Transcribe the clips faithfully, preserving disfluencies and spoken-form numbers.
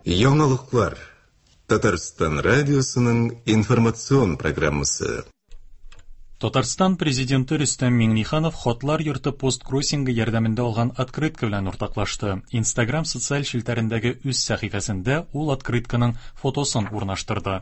Яңалыклар. Татарстан радиосының информацион программасы. Татарстан президенты Рөстәм Миңнеханов Хатлар йорты посткроссингы ярдәмендә алган открытка белән уртаклашты. Инстаграм социаль челтәрендәге үз сәхифәсендә ул открытканың фотосын урнаштырды.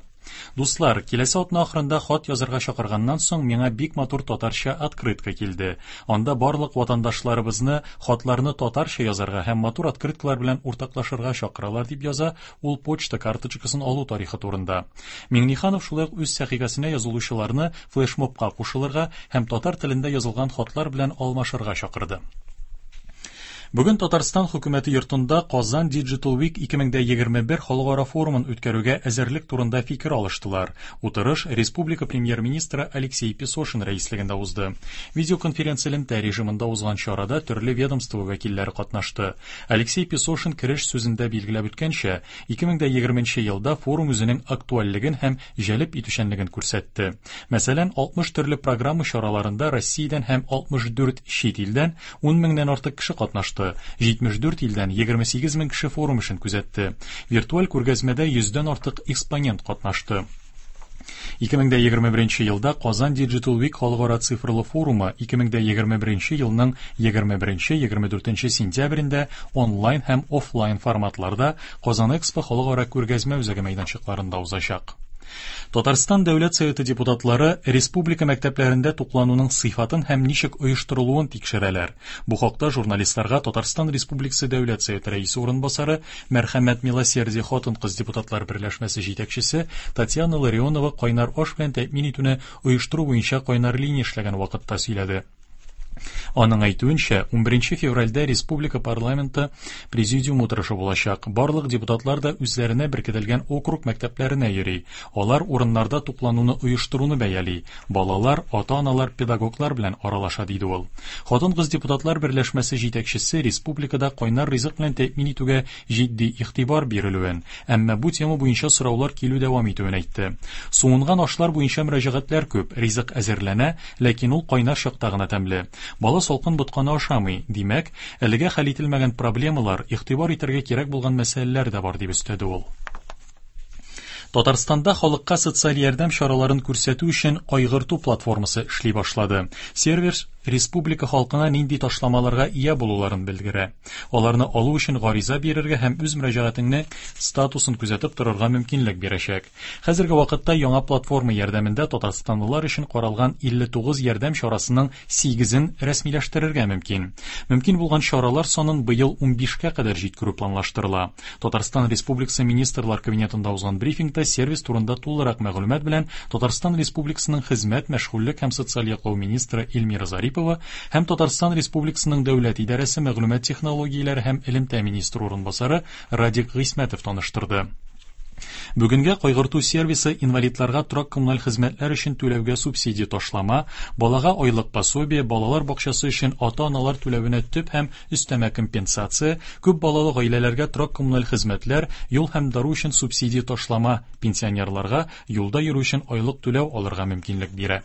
Дуслар, киләсе атна ахырында хат язарга чакырганнан соң миңа бик матур татарча открытка килде. Анда барлык ватандашларыбызны хатларны татарча язарга һәм матур открыткалар белән уртаклашырга чакыралар, дип яза ул почта карточкасын алу тарихы турында. Миңнеханов шулай ук үз сәхифәсенә язылучыларны флешмобка кушылырга һәм татар телендә язылган хатлар белән алмашырга чакырды. Бүген Татарстан хөкүмәте йортында Казан Digital Week ике мең егерме бер халыкара форумын үткәрүгә әзерлек турында фикер алыштылар. Утырыш республика премьер-министры Алексей Песошин рәислегендә узды. Видеоконференция элемтә режимында узган чарада төрле ведомство вәкилләре катнашты. Алексей Песошин кереш сүзендә билгеләп үткәнчә, ике мең егерменче елда форум үзенең актуальлеген һәм җәлеп итүчәнлеген күрсәтте. Мәсәлән, алтмыш төрле программа чараларында Россиядән һәм алтмыш дүрт чит илдән ун меңнән артык кеше катнашты. җитмеш дүрт илдән егерме сигез мең кеше форум эшен күзәтте. Виртуаль күргәзмәдә йөздән артык экспонент катнашты. ике мең егерме беренче елда Казан Digital Week халыкара цифрлы форумы ике мең егерме беренче елның егерме беренче, егерме дүртенче сентябрендә онлайн һәм офлайн форматларда Казан Экспо халыкара күргәзмә үзәге мәйданчыкларында узачак. Татарстан Дәүләт Советы депутатлары республика мәктәпләрендә туклануның сыйфатын һәм ничек оештырылуын тикшерәләр. Бу хакта журналистларга Татарстан Республикасы Дәүләт Советы рәисе урынбасары Мәрхәмәт Милосердие хатын-кыз депутатлар берләшмәсе җитәкчесе Татьяна Ларионова кайнар аш белән тәэмин итүне оештыру буенча кайнар линия эшләгән вакытта сөйләде. Аның әйтүенчә, унберенче февральдә республика парламенты президиум утырышы булачак. Барлык депутатлар да үзләренә беркетелгән округ мәктәпләренә йөри. Алар урыннарда туклануны оештыруны бәяли. Балалар, ата-аналар, педагоглар белән аралаша, диде ул. Хатын-кыз депутатлар берләшмәсе җитәкчесе республикада кайнар ризык белән тәэмин итүгә җитди игътибар бирелүен, әмма бу тема буенча сораулар килү дәвам итүен әйтте. Суынган ашлар буенча мөрәҗәгатьләр күп, ризык әзерләнә, ләкин ул кайнар чакта гына тәмле. Бала салкын ботканы ашамый, димәк, әлегә хәл ителмәгән проблемалар, игътибар итәргә кирәк булган мәсьәләләр дә бар, дип өстәде ул. Татарстанда халыкка социаль ярдәм чараларын күрсәтү өчен кайгырту платформасы эшли башлады. Сервис республика халкына нинди ташламаларга ия булуларын белдерә. Аларны алу өчен гариза бирергә һәм үз мөрәҗәгатеңне статусын күзәтеп торырга мөмкинлек бирәчәк. Хәзерге вакытта яңа платформа ярдәмендә татарстанлылар өчен каралган илле тугыз ярдәм чарасының сигезен рәсмиләштерергә мөмкин. Мөмкин булган чаралар санын быел унбишкә кадәр җиткерү планлаштырыла. Татарстан Республикасы Министрлар Кабинетында узган брифингта сервис турында тулырак мәгълүмат белән Татарстан Республикасының Хезмәт, мәшгульлек һәм социаль яклау министры Эльмира Зарипова һәм Татарстан Республикасының Дәүләт идарәсе мәгълүмат технологияләре һәм элемтә министры урынбасары Радик Гыйсмәтов таныштырды. Бүгенгә кайгырту сервисы инвалидларга торак коммуналь хезмәтләр өчен түләүгә субсидия ташлама, балага айлык пособие, балалар бакчасы өчен ата-аналар түләвенә төп һәм өстәмә компенсация, күп балалы гаиләләргә торак коммуналь хезмәтләр, юл һәм дару өчен субсидия ташлама, пенсионерларга юлда йөрү өчен айлык түләү алырга мөмкинлек бирә.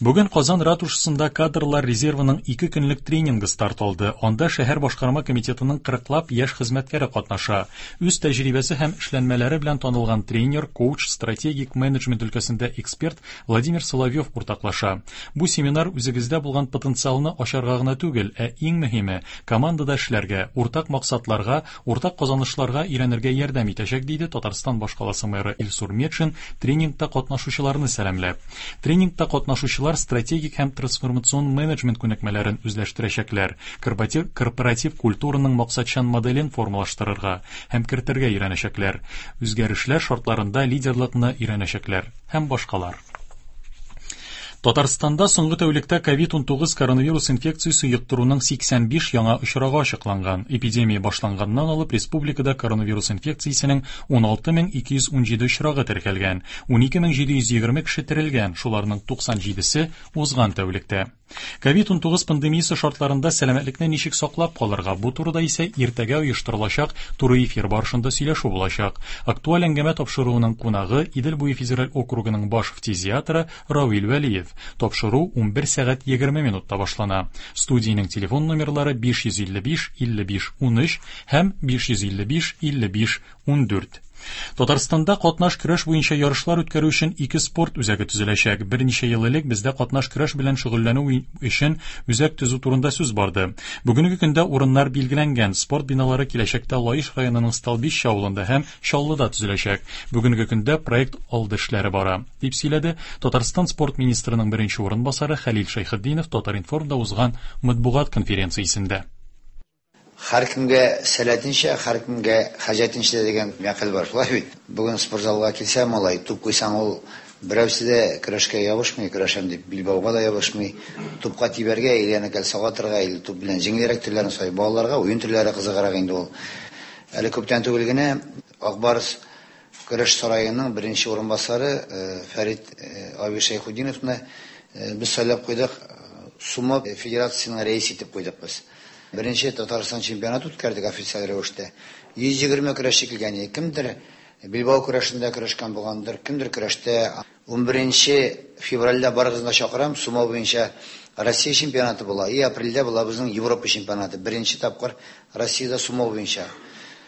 Бүген Казан ратушасында кадрлар резервының ике көнлек тренингы старт алды. Анда шәһәр башкарма комитетының кырыклап яшь хезмәткәре катнаша. Үз тәҗрибәсе һәм эшләнмәләре белән танылган тренер, коуч, стратегик менеджмент өлкәсендә эксперт Владимир Соловьев уртаклаша. Бу семинар үзегездә булган потенциалны ачарга гына түгел, ә иң мөһиме командада эшләргә, уртак максатларга, уртак казанышларга өйрәнергә ярдәм итәчәк, диде Татарстан башкаласы мэры Илсур Метшин тренингта катнашучыларны сәламләп. Тренингта катнашучылар стратегик һәм трансформацион менеджмент күнекмәләрен үзләштерәчәкләр, корпоратив, корпоратив культураның максатчан моделен формалаштырырга һәм кертергә өйрәнәчәкләр, үзгәрешләр шартларында лидерлыкны өйрәнәчәкләр һәм башкалар. Татарстанда соңгы тәүлектә ковид унтугыз коронавирус инфекциясе йоктыруның сиксән биш яңа очрагы ачыкланган. Эпидемия башланганнан алып республикада коронавирус инфекциясенең ун алты мең ике йөз ун җиде очрагы теркәлгән, ун ике мең җиде йөз егерме кеше терелгән, шуларның туксан җидесе узган тәүлектә. Ковид унтугыз пандемиясе шартларында сәламәтлекне ничек саклап калырга, бу турыда исә иртәгә оештырылачак туры эфир барышында сөйләшү булачак. Актуаль әңгәмә тапшыруының кунагы Идел буе федераль округының баш фтизиатры Равил Вәлиев. Хәбиров. Тапшыру унбер сәгать егерме минутта башлана. Студиянең телефон номерлары биш йөз илле биш илле биш унөч һәм биш йөз илле биш илле биш ундүрт. Татарстанда катнаш көрәш буенча ярышлар үткәрү өчен ике спорт үзәге төзеләчәк. Берничә ел элек бездә катнаш көрәш белән шөгыльләнү өчен үзәк төзү турында сүз барды. Бүгенге көндә урыннар билгеләнгән. Спорт биналары киләчәктә Лаеш районының Столбище авылында һәм Чаллыда төзеләчәк. Бүгенге көндә проект алды эшләре бара, дип сөйләде Татарстан спорт министрының беренче урынбасары Хәлил Шәйхетдинов Татар-информда узган матбугат конференциясендә. Һәр кемгә сәләтенчә, һәр кемгә хаҗәтенчә дигән мәкаль бар, шулай бит. Бүген спортзалга килсә, малай, туп куйсаң, ул берәүсе дә көрәшкә ябышмый, көрәшәм дип билбауга да ябышмый. Тупка тибәргә, или аны кәлсәгә атырга, или туп белән җиңелрәк төрләрен сай. Балаларга уен төрләре кызыграк инде ул. Әле күптән түгел генә Ак Барс көрәш сараеның беренче урынбасары, э, Фәрит, э, абый Шәйхетдиновны, э, без сайлап куйдык, Сумо федерациясенең рәисе итеп куйдык без. Беренче Татарстан чемпионаты үткәрдек официаль рәвештә. Йөз егерме көрәшче килгән иде. Кемдер билбау көрәшендә көрәшкән булгандыр, кемдер көрәштә. Унберенче февральдә барыгызны да чакырам, сумо буенча Россия чемпионаты була. И апрельдә була безнең Европа чемпионаты. Беренче тапкыр Россиядә сумо буенча.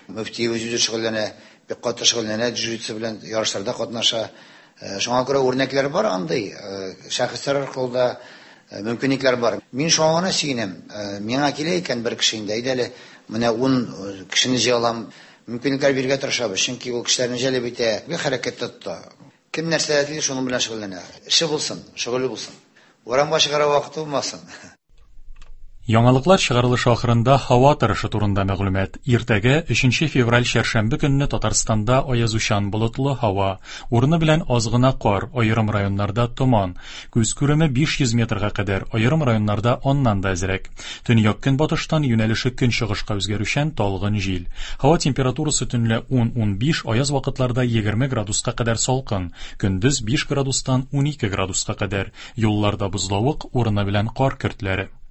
Мөфти үзе шөгыльләнә, бик каты шөгыльләнә, джиу-джитсу белән ярышларда катнаша. Э, шуңа күрә үрнәкләр бар андый, э, шәхесләр аркылы да мөмкинлекләр бар. Мин шуңа гына сөенәм. Э, миңа килә икән бер кеше инде, әйдә әле, менә ун, э, кешене җыя алам. Мөмкинлекләр бирергә тырышабыз, чөнки ул кешеләрне җәлеп итә, бер хәрәкәттә тота. Кем нәрсә тели, шуның белән шөгыльләнә. Эше булсын, шөгыле булсын. Урамга чыгарга вакыты булмасын. Яңалыклар чыгарылышы ахырында һава торышы турында мәгълүмат. Иртәгә өченче февраль чәршәмбе көнне Татарстанда аязучан болытлы һава, урыны белән аз гына кар, аерым районнарда томан, күз күреме биш йөз метрга кадәр, аерым районнарда аннан да әзрәк. Төньяк көнбатыштан юнәлеше көнчыгышка үзгәрүчән талгын җил. Һава температурасы төнлә ун-унбиш, аяз вакытларда егерме градуска кадәр салкын, көндез биш градустан унике градуска кадәр. Юлларда бозлавык, урыны белән кар көртләре.